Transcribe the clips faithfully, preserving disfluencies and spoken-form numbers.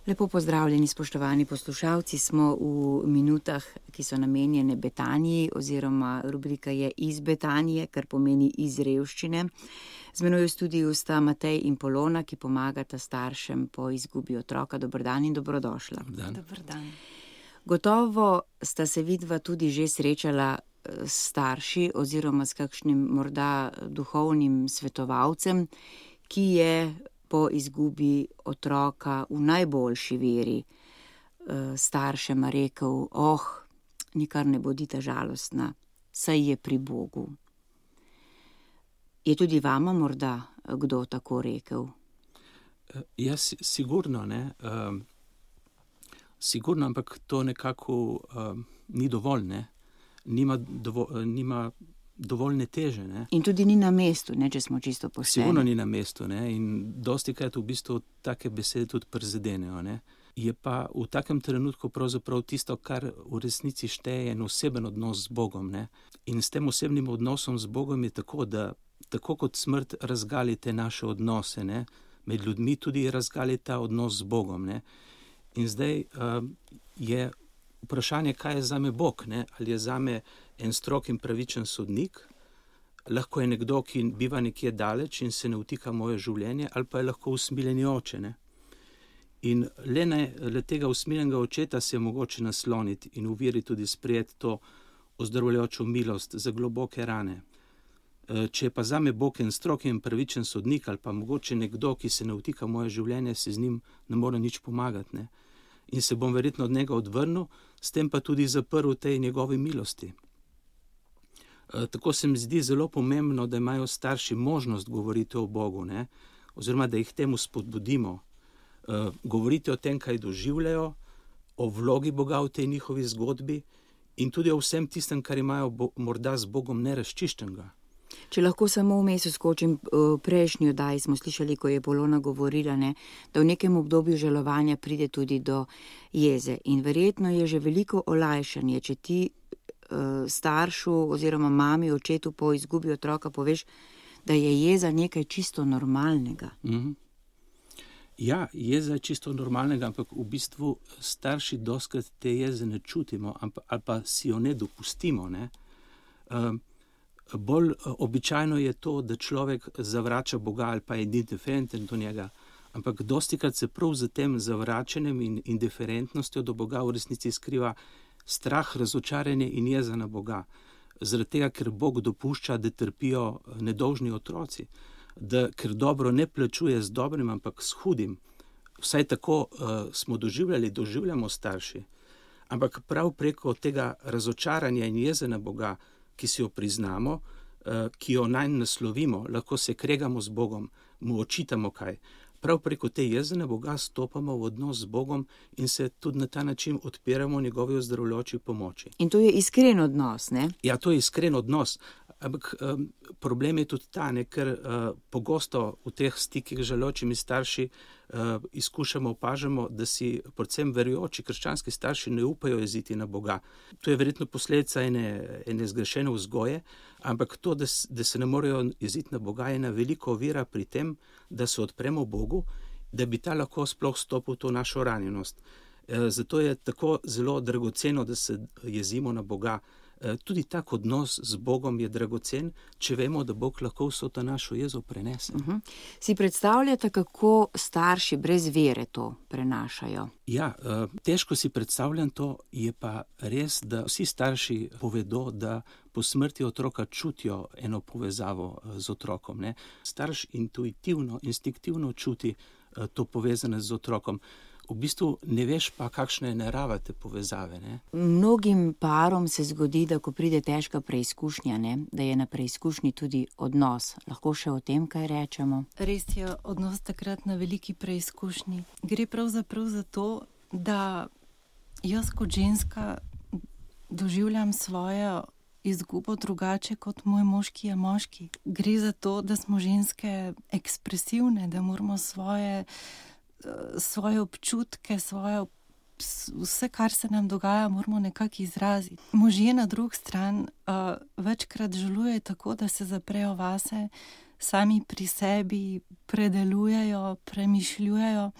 Lepo pozdravljeni, spoštovani poslušalci, smo v minutah, ki so namenjene Betaniji, oziroma rubrika je Iz Betanije, kar pomeni iz revščine. Z menoj v studiu sta Matej in Polona, ki pomagata staršem po izgubi otroka. Dober dan in dobrodošla. Dober dan. Dober dan. Gotovo sta se vidva tudi že srečala s starši oziroma s kakšnim morda duhovnim svetovalcem, ki je po izgubi otroka v najboljši veri staršema rekel: oh, nikar ne bodite žalostna, saj je pri Bogu. Je tudi vama morda kdo tako rekel? Ja, sigurno, ne. Um, sigurno, ampak to nekako um, ni dovolj, ne. Nima, dovo, nima dovoljne teže, ne. In tudi ni na mestu, ne, če smo čisto pošteni. Sigurno ni na mestu, ne, in dostikrat v bistvu take besede tudi prizadenejo, ne. Je pa v takem trenutku pravzaprav tisto, kar v resnici šteje, en oseben odnos z Bogom, ne. In s tem osebnim odnosom z Bogom je tako, da tako kot smrt razgali te naše odnose, ne, med ljudmi tudi razgali ta odnos z Bogom, ne. In zdaj uh, je vprašanje, kaj je zame Bog, ne? Ali je zame en strog in pravičen sodnik, lahko je nekdo, ki biva nekje daleč in se ne vtika moje življenje, ali pa je lahko usmiljeni oče, ne? In le, ne, le tega usmiljenega očeta se je mogoče nasloniti in v veri tudi sprejeti to ozdravljajočo milost za globoke rane. Če je pa zame Bog en strog in pravičen sodnik, ali pa mogoče nekdo, ki se ne vtika moje življenje, se z njim ne more nič pomagati, ne? In se bom verjetno od njega odvrnil, s tem pa tudi zaprl tej njegovi milosti. E, tako se mi zdi zelo pomembno, da imajo starši možnost govoriti o Bogu, ne? Oziroma da jih temu spodbudimo. E, govoriti o tem, kaj doživljajo, o vlogi Boga v tej njihovi zgodbi in tudi o vsem tistem, kar imajo bo, morda z Bogom nerazčiščenega. Če lahko samo vmes skočim, prejšnji oddaji smo slišali, ko je Polona govorila, ne, da v nekem obdobju žalovanja pride tudi do jeze. In verjetno je že veliko olajšanje, če ti uh, staršu oziroma mami, očetu po izgubi otroka poveš, da je jeza nekaj čisto normalnega. Mm-hmm. Ja, jeza je čisto normalnega, ampak v bistvu starši doskrat te jeze ne čutimo, ampak, ali pa si jo ne dopustimo, ne. Uh, Bolj običajno je to, da človek zavrača Boga ali pa je indiferenten do njega, ampak dostikrat se prav za tem zavračanjem in indiferentnostjo do Boga v resnici skriva strah, razočaranje in jeza na Boga. Zaradi tega, ker Bog dopušča, da trpijo nedolžni otroci, da ker dobro ne plačuje z dobrim, ampak s hudim. Vsaj tako uh, smo doživljali, doživljamo starši. Ampak prav preko tega razočaranja in jeze na Boga, ki si jo priznamo, ki jo nanj naslovimo, lahko se kregamo z Bogom, mu očitamo kaj. Prav preko te jeze na Boga stopamo v odnos z Bogom in se tudi na ta način odpiramo njegovi ozdravljajoči pomoči. In to je iskren odnos, ne? Ja, to je iskren odnos, ampak um, problem je tudi ta, ne, ker uh, pogosto v teh stikih z žaločimi starši uh, izkušamo, opažamo, da si predvsem verujoči krščanski starši ne upajo jeziti na Boga. To je verjetno posledica ene, ene zgrešene vzgoje, ampak to, da, da se ne morejo jeziti na Boga, je ena velika ovira pri tem, da se odpremo Bogu, da bi ta lahko sploh stopil v to našo ranjenost. E, zato je tako zelo dragoceno, da se jezimo na Boga. Tudi tak odnos z Bogom je dragocen, če vemo, da Bog lahko vso ta našo jezo prenese. Uh-huh. Si predstavljate, kako starši brez vere to prenašajo? Ja, težko si predstavljam to, je pa res, da vsi starši povedo, da po smrti otroka čutijo eno povezavo z otrokom, ne. Starš intuitivno, instinktivno čuti to povezane z otrokom. V bistvu ne veš pa, kakšna je narava te povezave, ne? Mnogim parom se zgodi, da ko pride težka preizkušnja, ne, da je na preizkušnji tudi odnos. Lahko še o tem kaj rečemo? Res je odnos takrat na veliki preizkušnji. Gre pravzaprav za to, da jaz kot ženska doživljam svojo izgubo drugače kot moj mož, ki je moški. Gre za to, da smo ženske ekspresivne, da moramo svoje svoje občutke, svoje, vse, kar se nam dogaja, moramo nekako izraziti. Možje na drugi strani uh, večkrat žalujejo tako, da se zaprejo vase, sami pri sebi predelujejo, premišljujejo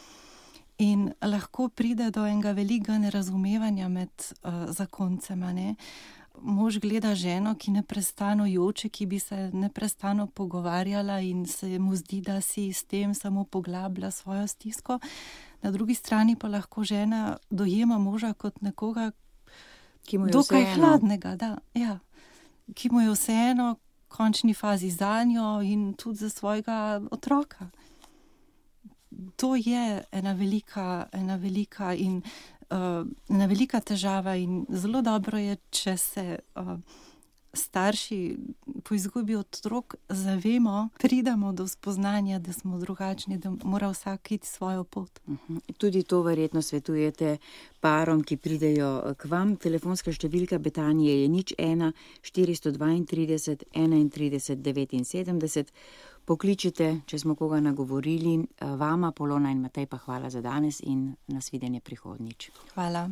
In lahko pride do enega velikega nerazumevanja med uh, zakoncema, ne. Mož gleda ženo, ki neprestano joče, ki bi se neprestano pogovarjala in se mu zdi, da si s tem samo poglablja svojo stisko. Na drugi strani pa lahko žena dojema moža kot nekoga, ki mu je dokaj vseeno. hladnega, da, ja, ki mu je vseeno v končni fazi zanjo in tudi za svojega otroka. To je ena velika, ena velika in uh, ena velika težava in zelo dobro je, če se uh, starši po izgubi otrok zavemo, pridemo do spoznanja, da smo drugačni, da mora vsak iti svojo pot. Uh-huh. Tudi to verjetno svetujete parom, ki pridejo k vam. Telefonska številka Betanije je nič ena štiristo dvaintrideset enaintrideset devetinsedemdeset. Pokličite, če smo koga nagovorili. Vama, Polona in Matej, pa hvala za danes in nasvidenje prihodnjič. Hvala.